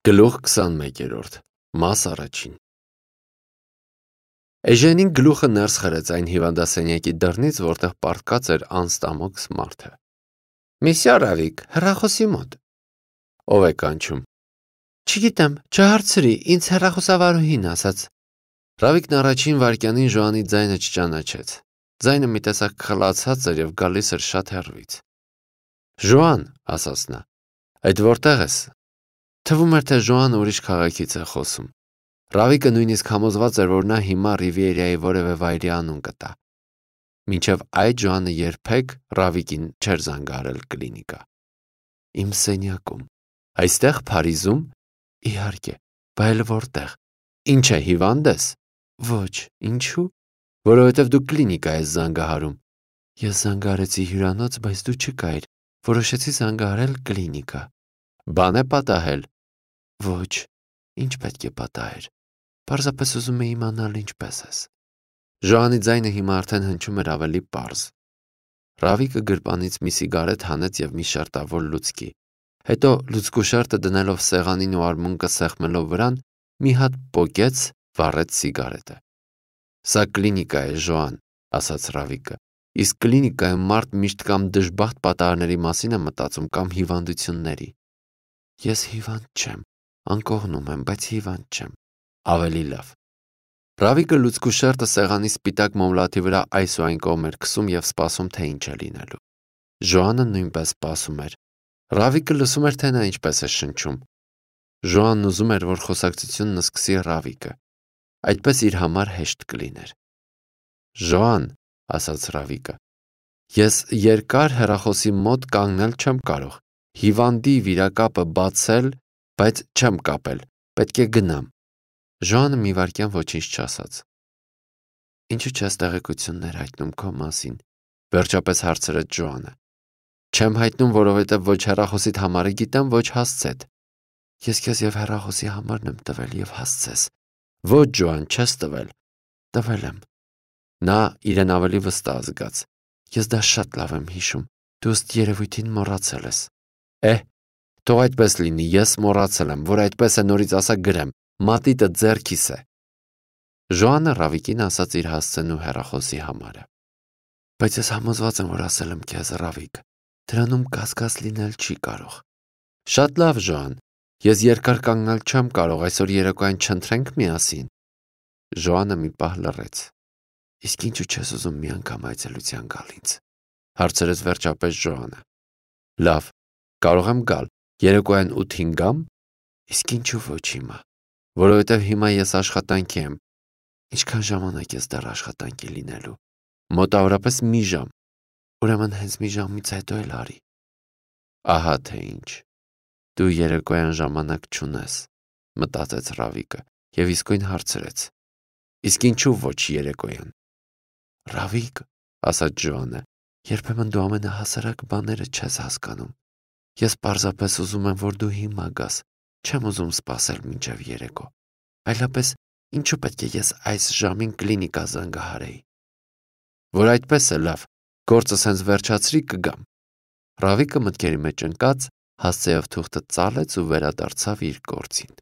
Գլուխ 21-րդ, մաս առաջին։ Էժենին գլուխը ներս խրեց այն հիվանդասենյակի դռնից, որտեղ պառկած էր անստամոքս մարդը։ Միսյո Ռավիկ, հեռախոսի մոտ։ Ով է կանչում։ Չգիտեմ, չհարցրի, ինձ հեռախոսավարուհին ասաց։ Ռավիկն առաջին վայրկյանին Ժոանի ձայնը չճանաչեց։ Ձայնը մի տեսակ խլացած էր և գալիս էր շատ հեռվից։ Ժոան, ասաց նա, այդ որտեղ ես։ Թվում էր, թե Ժոանը ուրիշ քաղաքից է խոսում։ Ռավիկը նույնիսկ համոզված էր, որ նա հիմա Ռիվիերայի որևէ վայրի անուն կտա։ Մինչև այդ Ժոանը երբեք Ռավիկին չէր զանգահարել կլինիկա։ Իմ սենյակում։ Այստեղ Փարիզում։ Իհարկե, բայց որտեղ։ Ինչ է, հիվանդ ես։ Ոչ, ինչու։ Որովհետև դու կլինիկա ես զանգահարում։ Ես զանգահարեցի հյուրանոց, բայց դու չկայիր։ Որոշեցի զանգահարել կլինիկա։ Բան է պատահել։ Ոչ, ինչ պետք է պատահեր։ Պարզապես ուզում էի իմանալ ինչպես ես։ Ժոանի ձայնը հիմա արդեն հնչում էր ավելի պարզ։ Ռավիկը գրպանից մի սիգարետ հանեց և մի շերտավոր լուցկի։ Հետո լուցկու շերտը դնելով սեղանին ու արմունկը սեղմելով վրան, մի հատ պոկեց, վառեց սիգարետը։ Սա կլինիկա է, Ժոան, ասաց Ռավիկը։ Իսկ կլինիկայում մարդ միշտ կամ դժբախտ պատահարների մասին է մտածում, կամ հիվանդությունների։ Ես հիվանդ չեմ, անկողնում եմ, բայց հիվանդ չեմ։ Ավելի լավ։ Ռավիկը լուցկու շերտը սեղանի սպիտակ մոմլաթի վրա այս ու այն կողմ էր քսում և սպասում, թե ինչ է լինելու։ Ժոանը նույնպես սպասում էր։ Ռավիկը լսում էր, թե նա ինչպես է շնչում։ Ժոանն ուզում էր, որ խոսակցությունն սկսի Ռավիկը։ Այդպես իր համար հեշտ կլիներ։ Ժոան, ասաց Ռավիկը, ես երկար հեռախոսի մոտ կանգնել չեմ կարող։ Հիվանդի վիրակապը բացել, բայց չեմ կապել, պետք է գնամ։ Ժոանը մի վայրկյան ոչինչ չասաց։ Ինչու չես տեղեկություններ հայտնում քո մասին, վերջապես հարցրեց Ժոանը։ Չեմ հայտնում, որովհետև ոչ հեռախոսիդ համարը գիտեմ, ոչ հասցեդ։ Ես քեզ և հեռախոսի համարն եմ տվել և հասցես։ Ոչ, Ժոան, չես տվել։ Տվել եմ։ Նա իրեն ավելի վստահ զգաց։ Ես դա շատ լավ եմ հիշում։ Դու ըստ երևույթին մոռացել ես։ Թող այդպես լինի, ես մոռացել եմ, որ այդպես է նորից ասա գրեմ, մատիտը ձեռքիս է։ Ժոանը Ռավիկին ասաց իր հասցեն ու հեռախոսի համարը։ Բայց ես համոզված եմ, որ ասել եմ քեզ, Ռավիկ, դրանում կասկած լինել չի կարող։ Շատ լավ, Ժոան, ես երկար կանգնել չեմ կարող, այսօր երեկոյան չընթրենք միասին։ Ժոանը մի պահ լռեց։ Իսկ ինչու չես ուզում մի անգամ այցելության գալ ինձ, հարցրեց վերջապես Ժոանը։ Լավ, կարող եմ գալ, երեկոյան 8-ին գամ։ Իսկ ինչու ոչ հիմա, որովհետև հիմա ես աշխատանքի եմ։ Ինչքան ժամանակ ես դեռ աշխատանքի լինելու։ Մոտավորապես մի ժամ։ Ուրեմն հենց մի ժամից հետո էլ արի։ Ահա թե ինչ։ Դու երեկոյան ժամանակ չունես, մտածեց Ռավիկը և իսկույն հարցրեց. Իսկ ինչու ոչ երեկոյան։ Ռավիկ, ասաց Ժոանը, երբեմն դու ամենահասարակ բաները չես հասկանում։ Ես պարզապես ուզում եմ, որ դու հիմա գաս, չեմ ուզում սպասել մինչև երեկո։ Այլապես ինչու պետք է ես այս ժամին կլինիկա զանգահարեի։ Որ այդպես է, լավ, գործս հենց վերջացրի կգամ։ Ռավիկը մտքերի մեջ ընկած հասցեով թուղթը ծալեց ու վերադարձավ իր գործին։